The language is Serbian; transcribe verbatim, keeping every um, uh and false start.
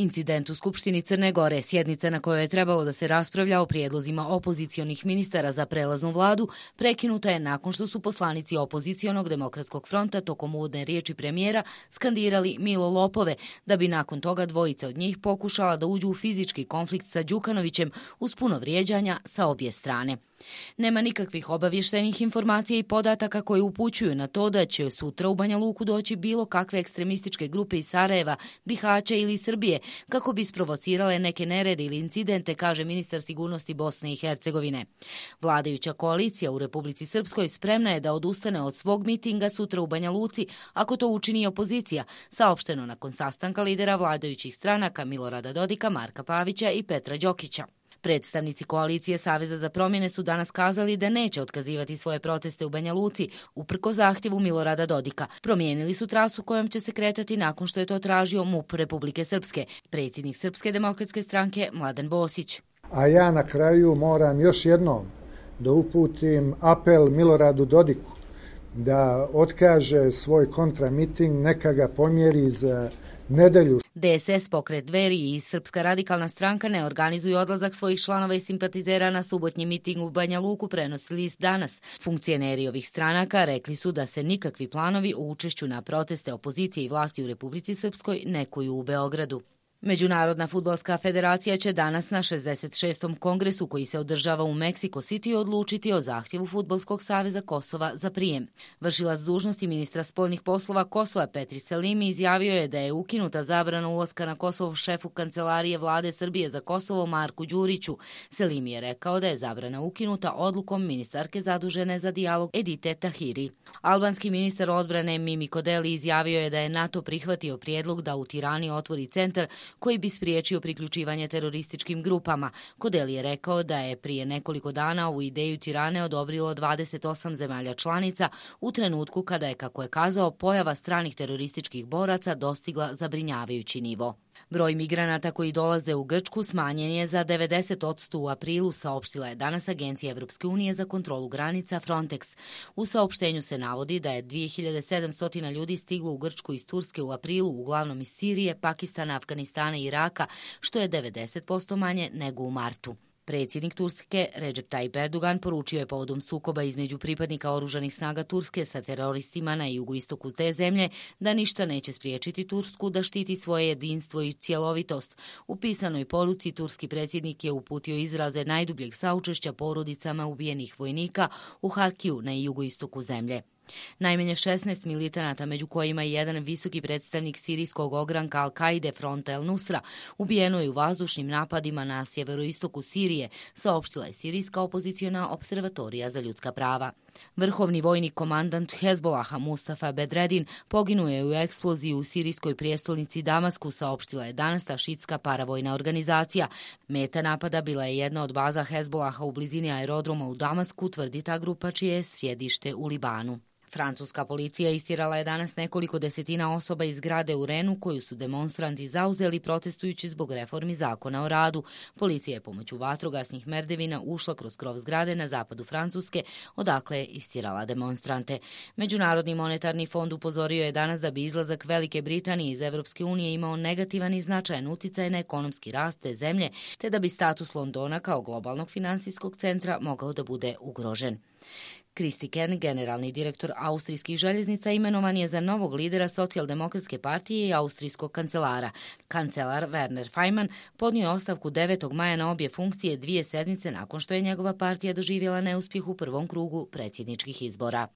Incident u Skupštini Crne Gore, sjednica na kojoj je trebalo da se raspravlja o prijedlozima opozicionih ministara za prelaznu vladu, prekinuta je nakon što su poslanici opozicionog demokratskog fronta tokom uvodne riječi premijera skandirali Milo lopove, da bi nakon toga dvojica od njih pokušala da uđu u fizički konflikt sa Đukanovićem uz puno vrijeđanja sa obje strane. Nema nikakvih obavještenih informacija i podataka koji upućuju na to da će sutra u Banja Luku doći bilo kakve ekstremističke grupe iz Sarajeva, Bihaća ili Srbije kako bi isprovocirale neke nerede ili incidente, kaže ministar sigurnosti Bosne i Hercegovine. Vladajuća koalicija u Republici Srpskoj spremna je da odustane od svog mitinga sutra u Banja Luci ako to učini opozicija, saopšteno nakon sastanka lidera vladajućih stranaka Milorada Dodika, Marka Pavića i Petra Đokića. Predstavnici koalicije Saveza za promjene su danas kazali da neće otkazivati svoje proteste u Banja Luci, uprko zahtjevu Milorada Dodika. Promijenili su trasu kojom će se kretati nakon što je to tražio MUP Republike Srpske, predsjednik Srpske demokratske stranke Mladen Bosić. A ja na kraju moram još jednom da uputim apel Miloradu Dodiku da otkaže svoj kontramiting, neka ga pomjeri za nedelju. D S S, Pokret Dveri i Srpska radikalna stranka ne organizuju odlazak svojih članova i simpatizera na subotnji miting u Banja Luku, prenosi list Danas. Funkcioneri ovih stranaka rekli su da se nikakvi planovi o učešću na proteste opozicije i vlasti u Republici Srpskoj ne kuju u Beogradu. Međunarodna fudbalska federacija će danas na šezdeset šestom kongresu koji se održava u Meksiko City odlučiti o zahtjevu Fudbalskog saveza Kosova za prijem. Vršilac dužnosti ministra spoljnih poslova Kosova Petri Selimi izjavio je da je ukinuta zabrana ulaska na Kosovo šefu kancelarije vlade Srbije za Kosovo Marku Đuriću. Selimi je rekao da je zabrana ukinuta odlukom ministarke zadužene za dijalog Edite Tahiri. Albanski ministar odbrane Mimi Kodeli izjavio je da je NATO prihvatio prijedlog da u Tirani otvori centar koji bi spriječio priključivanje terorističkim grupama. Kodeli je rekao da je prije nekoliko dana ovu ideju Tirane odobrilo dvadeset osam zemalja članica u trenutku kada je, kako je kazao, pojava stranih terorističkih boraca dostigla zabrinjavajući nivo. Broj migranata koji dolaze u Grčku smanjen je za devedeset posto u aprilu, saopštila je danas Agencija Evropske unije za kontrolu granica Frontex. U saopštenju se navodi da je dvije hiljade sedamsto ljudi stiglo u Grčku iz Turske u aprilu, uglavnom iz Sirije, Pakistana, Afganistana i Iraka, što je devedeset posto manje nego u martu. Predsjednik Turske Recep Tayyip Erdogan poručio je povodom sukoba između pripadnika oružanih snaga Turske sa teroristima na jugoistoku te zemlje da ništa neće spriječiti Tursku da štiti svoje jedinstvo i cjelovitost. U pisanoj poruci turski predsjednik je uputio izraze najdubljeg saučešća porodicama ubijenih vojnika u Harkiju na jugoistoku zemlje. Najmanje šesnaest militanata, među kojima je jedan visoki predstavnik sirijskog ogranka Al-Kaide fronta El-Nusra, ubijeno je u vazdušnim napadima na sjeveroistoku Sirije, saopštila je sirijska opoziciona observatorija za ljudska prava. Vrhovni vojni komandant Hezbolaha Mustafa Bedredin poginuo je u eksploziji u sirijskoj prijestolnici Damasku, saopštila je danas ta šitska paravojna organizacija. Meta napada bila je jedna od baza Hezbolaha u blizini aerodroma u Damasku, tvrdi ta grupa čije je sjedište u Libanu. Francuska policija istjerala je danas nekoliko desetina osoba iz zgrade u Renu koju su demonstranti zauzeli protestujući zbog reformi zakona o radu. Policija je pomoću vatrogasnih merdevina ušla kroz krov zgrade na zapadu Francuske, odakle je istjerala demonstrante. Međunarodni monetarni fond upozorio je danas da bi izlazak Velike Britanije iz Evropske unije imao negativan i značajan uticaj na ekonomski rast te zemlje, te da bi status Londona kao globalnog finansijskog centra mogao da bude ugrožen. Kristi Kern, generalni direktor austrijskih željeznica, imenovan je za novog lidera socijaldemokratske partije i austrijskog kancelara. Kancelar Werner Faymann podnio je ostavku devetog maja na obje funkcije dvije sedmice nakon što je njegova partija doživjela neuspjeh u prvom krugu predsjedničkih izbora.